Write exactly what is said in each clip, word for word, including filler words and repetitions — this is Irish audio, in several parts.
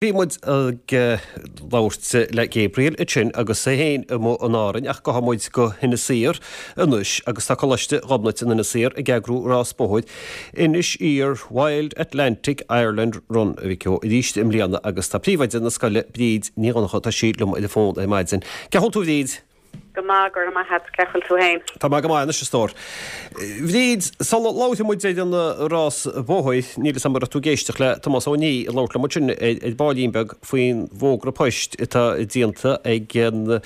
Bhí muid ag labhairt le Gabriel ansin agus é féin amuigh in Árainn ach gabhfaidh muid go hInis Oírr anois agus tá Coláiste Ghobnait in Inis Oírr ag eagrú rás bóthair Inis Oírr Wild Atlantic Ireland Run a bhí arís i mbliana agus tá príomhoide na scoile Bríd Ní Dhonncha tá sí liom ar an bhfón ar maidin. Cén chaoi a bhfuil tú Bhríd? Go maith go raibh maith agat cén chaoi a bhfuil tú féin. Tá mé go maith anois a stór. Bhríd, sula labhróidh muid ar an rás bóthair, níl a fhios agam an raibh tú ag éisteacht le Tomás Ó Ní ag labhairt liom ansin ar baillín beag faoin bhfógra poist atá déanta ag an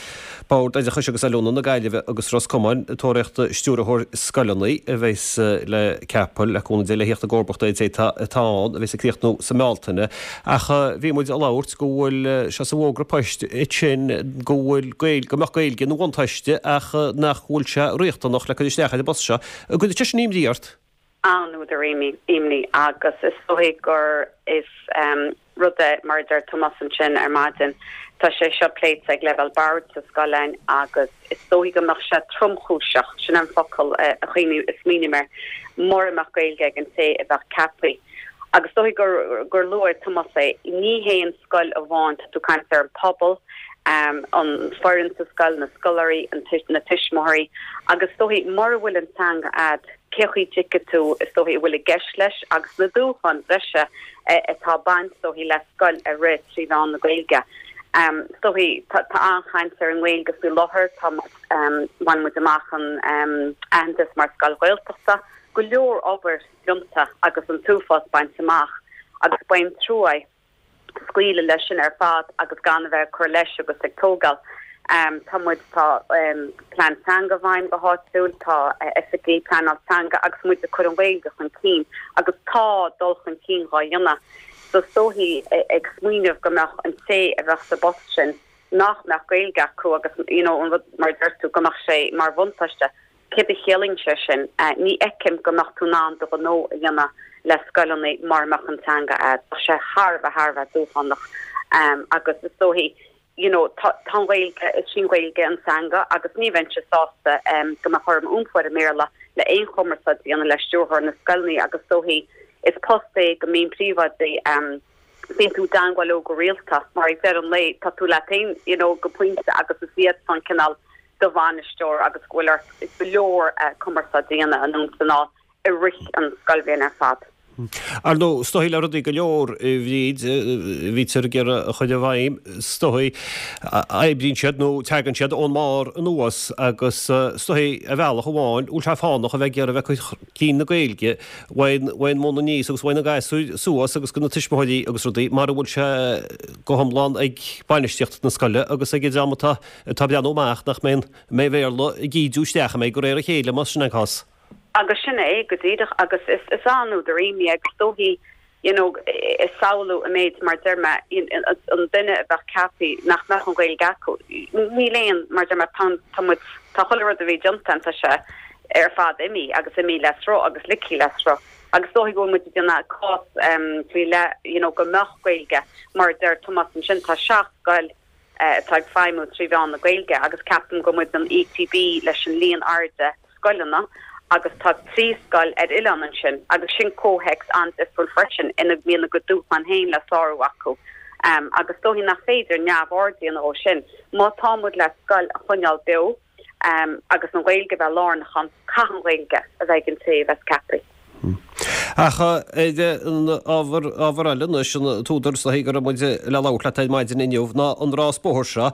Bord Oideachais agus Oiliúna na Gaillimhe agus Ros Comáin ag tóraíocht stiúrthóir scoileanna a bheas le ceapadh le cúnamh Dé le theacht i gcomharbacht ar an té atá ann a bheas ag críochnú sa mBealtaine. Ach bhí muid ag labhairt go bhfuil sé sa bhfógra poist sin go bhfuil Gaeilge, go mbeadh Gaeilge ina bhuntáiste ach nach bhfuil sé riachtanach le cur isteach ar an bpost seo. An gcuireann sé sin imní ort? An-údar imní agus is dóigh gur is rud é mar a deir Tomás ansin ar maidin. Tá sé seo pléite ag leibhéal boird sa scoil agus is dóigh go mbeadh sé tromchúiseach sin an focal a chuimhní is smaoiním air mura mbeadh Gaeilge ag an té a bheadh ceaptha. Agus dóigh gur gur luaigh Tomás é ní haon scoil amháin tá tú ag caint ar an pobal, um, an foireann sa scoil na scoláirí an na tuismitheoirí agus dóigh mura bhfuil an teanga agat cé chaoi dtuigfidh tú is dóigh bhfuil i gceist leis agus na dúshláin bhreise atá baint dóigh le scoil a rith trí mheán na Gaeilge. Um, dóigh tá an-chaint ar an nGaeilge faoi láthair tá um, bhain muid amach an um, aitheantas mar scoil Ghaeltachta, go leor obair déanta agus an t-uafás bainte amach agus bain trua scaoileadh leis sin ar fad agus gan a bheith cur leis agus ag tógáil. Um, tá muid tá um, plean teanga i bhfeidhm go háitiúil tá uh, oifigigh pleanáil teanga agus muid ag cur an Ghaeilge chun cinn agus tá dul chun cinn á dhéanamh. So is dóigh ag smaoineamh go mbeadh an té a bheadh sa bpost sin nach mbeadh Gaeilge acu agus you know, an rud mar deir tú go mbeadh sé mar bhuntáiste. Céard a chiallaíonn sé sin uh, ní fheicim go mbeadh tú in ann do ghnó a dhéanamh le scoileanna mura mbeadh an teanga agat sé thar a thar a dúshlánach um, agus is dóigh you know tá Gaeilge is sin Gaeilge an teanga agus ní bheinnse sásta um, go mbeadh orm iompú i mBéarla le aon chumarsáid a dhéanamh le stiúrthóir na scoileanna agus dóigh is post é go mbíonn príomhoidí um, bíonn tú i dteagmháil leo go rialta mar ag deireadh an lae tá tú le tain you know go pointe agus is iad an cineál do bhainisteoir agus go bhfuil ort go leor uh, cumarsáid a dhéanamh an san i rith an scoilbhliain ar fad. Ar ndóigh is dóigh le rudaí go leor bhríd bhítear ag iarraidh a chur i bhfeidhm is dóigh oibríonn siad nó tagann siad ón mbarr anuas agus is dóigh ar bhealach amháin bhfuil sé fánach a bheith ag iarraidh a bheith ag cur chun cinn na Gaeilge uaidh an mbun aníos agus uaidh na gasúir suas agus go na tuismitheoirí agus rudaí mura bhfuil sé go hiomlán ag bainistíocht na scoile agus ag an dream atá atá breathnú amach nach mbeidh mbeidh Béarla ag ídiú isteach a mbeidh go réir a chéile más sin an cás. agus sin é go díreach agus is is an-údar imní agus dóigh you know is samhlú an méid mar deir mé an duine a bheadh ceaptha nach mbeadh an Ghaeilge acu níl aon mar deir mé tá tá chuile rud a bhí déanta tá sé ar fad imithe agus imithe le sruth agus ligthe le sruth agus dóigh go muid déanamh cás um, faoi le you know go mbeadh Gaeilge mar deir Tomás ansin tá seacht scoil uh, atá ag feidhmiú trí mheán na Gaeilge agus ceapaim go muid an ETB leis an líon airde scoileanna agus tá trí scoil ar oileán ansin agus sin comhthéacs an-difriúil freisin ina mbíonn a gcuid dúshlán féin le sárú acu. Um, agus dóigh nach féidir neamhaird a dhéanamh ó sin. Má tá muid le scoil a choinneáil beo um, agus an Ghaeilge bheith lárnach ann caithfidh an Ghaeilge a bheith ag an té a bheas ceaptha. Ach an ábhar ábhar eile anois an t-údar is dóigh go raibh muid le labhairt leat ar maidin inniu ná an rás bóthair seo.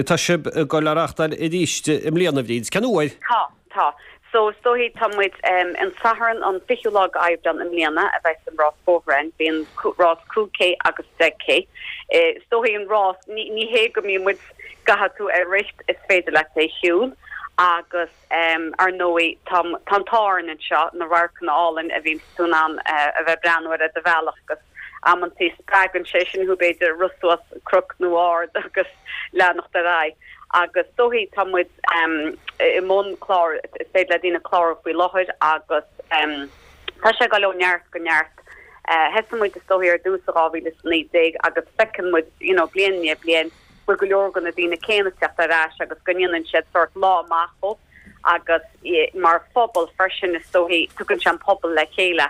Tá sibh ag dul á reáchtáil arís i mbliana Bhríd. Cén uair? Tá, tá. So is dóigh tá muid um, an Satharn an fichiú lá Aibreán i mbliana a bheidh an rás bóthair bíonn rás cúig K agus deich K. Is dóigh an rás ní, ní hé go mbíonn muid caithfidh tú é rith is féidir leat é shiúl agus um, ar ndóigh tá an t-ádh orainn anseo na radharcanna álainn a bhíonn tú in ann uh, a bheith breathnú ar do bhealach agus amantaí spreagann sé sin thú b'fhéidir rith suas cnoc nó ard agus leanacht ar aghaidh. Agus dóigh tá muid um, i mbun clár is féidir le daoine clárú faoi láthair agus um, tá sé ag dul ó neart go neart. Uh, Thosaigh muid is dóigh ar dtús dhá mhíle naoi déag agus feiceann muid you know, bliain i ndiaidh bliain bhfuil go leor de na daoine céanna ag teacht ar ais agus go ndéanann siad sort lá amach agus mar phobal freisin is dóigh tugann sé an pobal le chéile.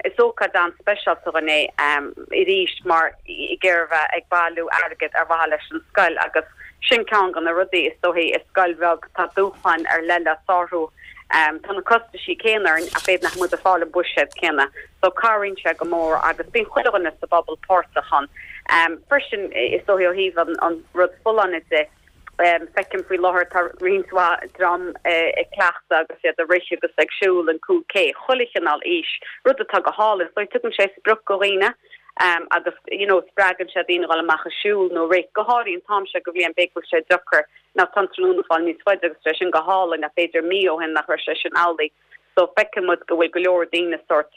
Is ócáid an-speisialta dhúinn é arís mar ag iarraidh ag bailiú airgead ar mhaithe leis an scoil agus sin ceann de na rudaí is dóichí i scoil bheag tá dúshláin ar leith le sárú. Tá na costaisí céanna orainn ach b'fhéidir nach muid ag fáil an buiséad céanna so cabhraíonn sé go mór agus bíonn chuile dhuine sa bpobal páirteach ann. Freisin is dóichí ó thaobh an rud folláine de, Feicim faoi láthair tá roinnt mhaith dream ag cleachtadh agus iad ag rith agus ag siúl an cúig K, chuile chineál aois, rud atá go hálainn. So tugann sé sprioc do dhaoine agus you know spreagann sé daoine dhul amach ag siúl nó rith, go háirithe an t-am seo de bhliain b'fhéidir go bhfuil sé deacair nó tá an tráthnóna ag fáil níos faide agus tá sé sin go hálainn ach b'fhéidir mí ó shin nach raibh sé sin amhlaidh. So feiceann muid go bhfuil go leor daoine sórt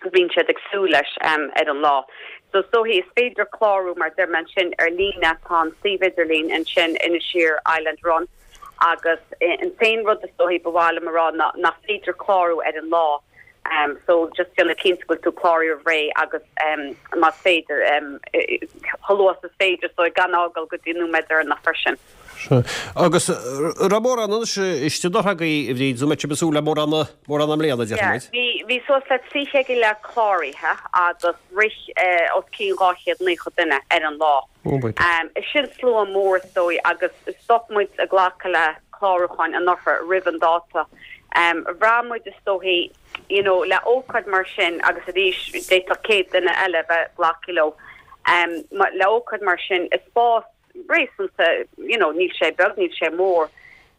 bíonn siad ag súil leis ar an lá. So is dóichí is féidir clárú mar deir mé ansin ar líne, tá an suíomh idirlín ansin Inisheer Island Run agus an t-aon rud is dóichí ba mhaith liom a rá ná nach féidir clárú ar an lá um, so just déanamh cinnte go bhfuil tú cláraithe roimh ré agus um, más féidir um, chomh luath is féidir so gan fhágáil go dtí nóiméad deireanach freisin. Agus raibh mórán anois istigh anuraidh a Bhríd, an mbeidh sibh ag súil le mórán mórán i mbliana, déarfaidh muid. Bhí bhí suas le trí chéad go leith cláraithe agus rith os cionn dhá chéad naocha duine ar an lá. Sin slua mór is dóigh agus stop muid ag glacadh le clárúcháin anuraidh roimh an dáta. Bhraith muid is dóichí you know le ócáid mar sin agus arís d'fhéadfadh céad duine eile bheith glactha leo le ócáid mar sin i spás réasúnta, you know, níl sé beag, níl sé mór,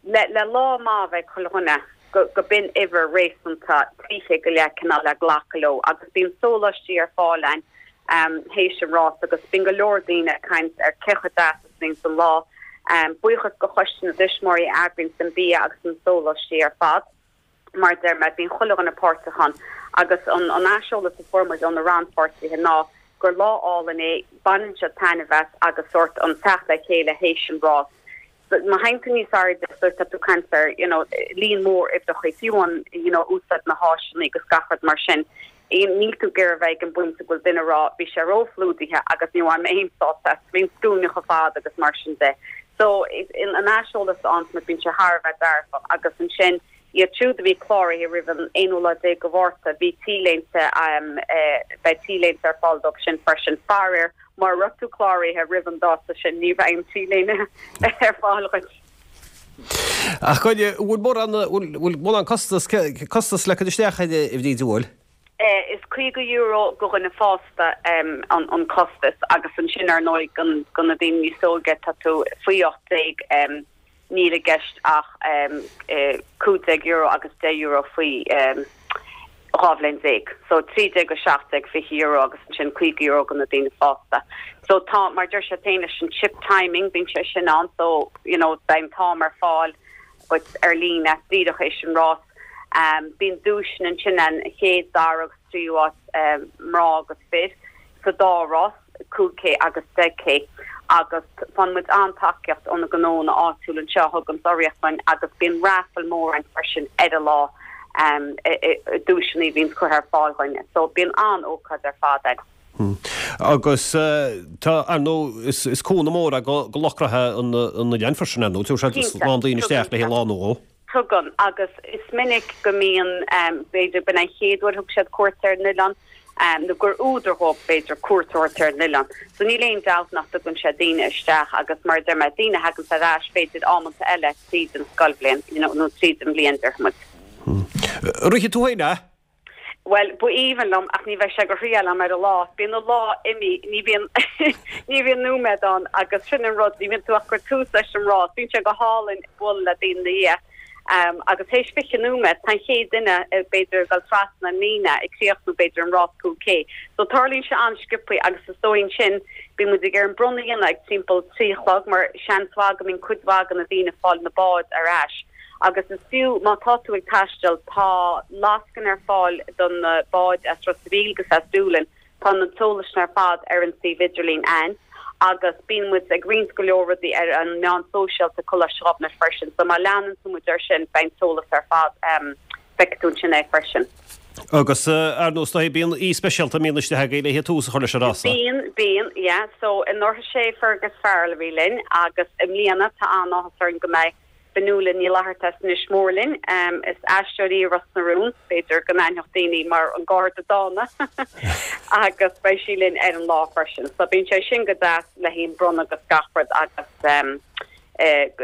le, le lá maith bheith ag chuile dhuine go, go b'in uimhir réasúnta trí chéad go leith cineál le glacadh leo agus bíonn sóláistí ar fáil ann um, théis an rás agus bíonn go leor daoine ag caint ar cé chomh deas is a bhíonn an lá. Um, buíochas go choiste na dtuismitheoirí a eagraíonn an bia agus an sóláistí ar fad. Mar deir mé, bíonn chuile dhuine páirteach ann agus an, an aiseolas a fuair muid ó na rannpháirtithe ná gur lá álainn é, baineann siad taitneamh as agus sórt an teacht le chéile théis an rás. Má théann tú níos airde so tá tú ag caint ar you know, líon mór uimhreacha, fiú an you know, úsáid na háiseanna agus gach rud mar sin. Níl tú ag iarraidh bheith ag an bpointe go bhfuil duine ag rá bhí sé róphlódaithe agus ní bhain mé aon sásamh as, bhí an scuaine chomh fada agus mar sin de. So an aiseolas a fhaigheann muid bíonn sé thar a bheith dearfach agus ansin Iad siúd a bhí cláraithe roimh an aonú lá déag de Mhárta, bhí T-léinte, beidh T-léinte ar fáil dóibh sin freisin. Faraor, mura raibh tú cláraithe roimh an dáta sin, ní bheidh an T-léine ar fáil dhuit. Ach an bhfuil mórán, bhfuil mórán costas, costas le cur isteach air, a Bhríd, an bhfuil? Is caoga euro go dhuine fásta an costas agus ansin ar ndóigh do na daoine níos óige, tá tú faoi ocht déag, Níl i gceist ach cúig déag euro agus deich euro faoi dhá bhliain déag. So trí déag go seacht déag, fiche euro agus ansin caoga euro do na daoine fásta. So tá, mar deir siad féin leis an chip timing, bíonn sé sin ann so you know beidh an t-am ar fáil duit ar líne díreach théis an rás. Bíonn duaiseanna ansin an chéad, dara agus tríú áit mná agus fir sa dá rás. cúig K agus deich K agus faigheann muid an-tacaíocht ó na gnónna áitiúla anseo a thugann urraíocht dúinn agus bíonn raffle mór ann freisin ar an lá duaiseanna a bhíonn curtha ar fáil dhúinn so bíonn an-ócáid ar fad ann. Agus tá, ar ndóigh, is cúnamh mór é do lucht reatha an oileáin freisin, ar ndóigh, tabharfaidh siad a lán daoine isteach le haghaidh lá nó dhó. Tugann, agus is minic go mbíonn, b'fhéidir, b'in an chéad uair a thug siad cuairt ar an oileán, nó gur údar dhóibh, b'fhéidir, cuairt a thabhairt ar an oileán. So níl aon dabht nach dtugann sé daoine isteach agus mar a deir mé, daoine a thaganns ar ais, b'fhéidir, amanta eile tríd an scoilbhliain, you know, nó tríd an bhliain, déarfaidh muid. Rithfidh tú féin é? Bhuel, ba aoibhinn liom ach ní bheidh sé go thriail agam ar an lá. Bíonn an lá imithe, ní bhíonn ní bhíonn nóiméad ann agus sin an rud, ní bhíonn tú ach ag cur tús leis an rás. Bíonn sé go hálainn bualadh le daoine ina dhiaidh agus théis fiche nóiméad tá an chéad duine b'fhéidir ag dul trasna an líne ag críochnú b'fhéidir an rás cúig K. So tarlaíonn sé an-sciobtha agus is dóigh ansin bíonn muid ag iarraidh an bronnadh a dhéanamh ag timpeall trí a chlog mar seans mhaith go mbíonn cuid mhaith de na daoine ag fáil na báid ar ais. Agus is fiú má tá tú ag taisteal, tá lascaine ar fáil do na báid as Ros a' Mhíl agus as Dúlainn, tá an t-eolas sin ar fad ar an suíomh idirlín a'ainn agus bíonn muid ag roinnt go leor rudaí ar an meán sóisialta Coláiste Ghobnait freisin, so má leanann tú muid ar sin beidh an t-eolas ar fad, feicfidh tú ansin é freisin. Agus ar ndóigh is dóigh bíonn aoi speisialta a mbíonn istigh agaibh le tús a chur leis an rása. Bíonn, bíonn, yeah, so anuraidh sé Fergus Farrell a bhí linn agus i mbliana tá an-áthas orainn go mbeidh Fionnuala Ní Fhlatharta as Inis Mór linn. Is aisteoir í Ros na Rún, b'fhéidir go n-aithneodh daoine mar an Garda Dána agus beidh sí linn ar an lá freisin. So bíonn sé sin go deas le haghaidh an bronnadh agus gach rud agus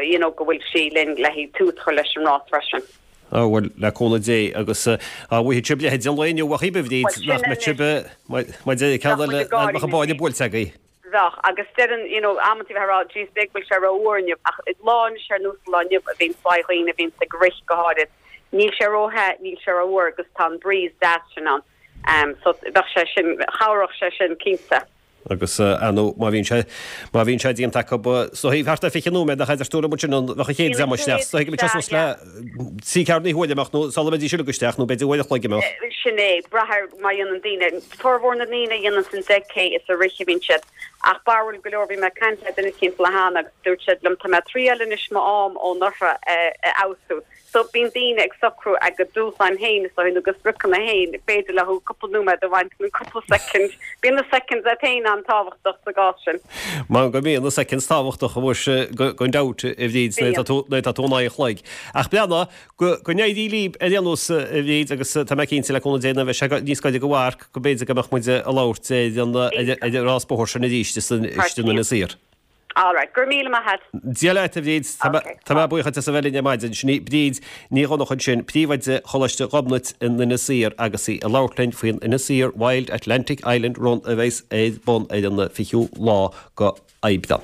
you know go bhfuil sí linn le haghaidh tús a chur leis an rás freisin. Á bhuel, le cúnamh Dé agus á bhfaighidh sibh leithéid an lae inniu a Bhríd, nach mbeadh sibh mar deir ceann eile nach mbeadh an báille buailte agaibh. Bheadh, agus deireann, you know, amantaí bheith ag rá, jeez, b'fhéidir go bhfuil sé ró-fhuar inniu, ach lá anois ar nós lá inniu a bhíonn faoi dhaoine a bhíonns ag rith go háirid, níl sé ró-the, níl sé ró-fhuar agus tá an breeze deas sin ann. Um, so bheadh sé sin, chabhródh sé sin cinnte. Agus ar ndóigh má bhíonn sé, má bhíonn sé déanta acu, so thart ar fiche nóiméad nach idir stiúradh muid sin an bheadh an chéad dream isteach, so thuig muid suas le trí ceathair na huaire amach nó sula mbeidís uilig isteach nó b'fhéidir uair a chloig amach. Sin é, brath ar má dhéanann daoine, formhór na ndaoine a dhéanann an deich K is ag rith a bhíonn siad, ach barúil go leor bhí mé ag caint le duine eicínt le cheana agus dúirt siad liom tá mé ag triail anois m'am ó anuraidh a fheabhsú. So bíonn daoine ag socrú a gcuid dúshláin féin is dóigh nó a gcuid spriocanna féin, b'fhéidir leo cúpla nóiméad a bhaint nó cúpla soicind. Bíonn na seconds iad féin an-tábhachtach sa gcás sin. Mar go mbíonn na seconds tábhachtach muise gan dabht a Bhríd nuair atá tú nuair atá tú in aghaidh an chloig. Ach breathnaigh go go n-éirí libh ar aon nós a Bhríd agus tá mé cinnte le cúnamh Dé nuair a bheidh sé níos gaire do mharc go mb'fhéidir go mbeadh muid ag labhairt ar an ar an rás bóthair sin arís istigh in Inis Oírr. All right, go raibh míle maith agat. Dia leat a Bhríd, tá mé buíoch as a bheith linn ar maidin. Sin í Bríd Ní Dhonncha ansin, Príomhoide Choláiste Ghobnait in Inis Oírr agus í ag labhairt linn faoin Inis Oírr Wild Atlantic Island Run a bheas ar bun ar an fichiú lá go Aibreán.